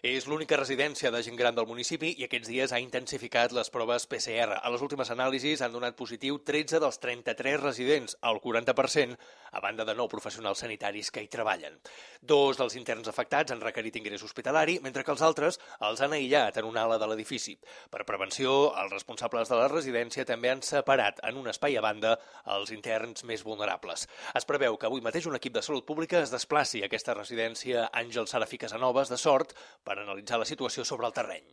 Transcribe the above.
És l'única residència de gent gran del municipi i aquests dies ha intensificat les proves PCR. A les últimes anàlisis han donat positiu 13 dels 33 residents, el 40%, a banda de 9 professionals sanitaris que hi treballen. 2 dels interns afectats han requerit ingrés hospitalari, mentre que els altres els han aïllat en una ala de l'edifici. Per prevenció, els responsables de la residència també han separat en un espai a banda els interns més vulnerables. Es preveu que avui mateix un equip de salut pública es desplaci a aquesta residència Àngel Serafí Casanovas de Sort per analitzar la situació sobre el terreny.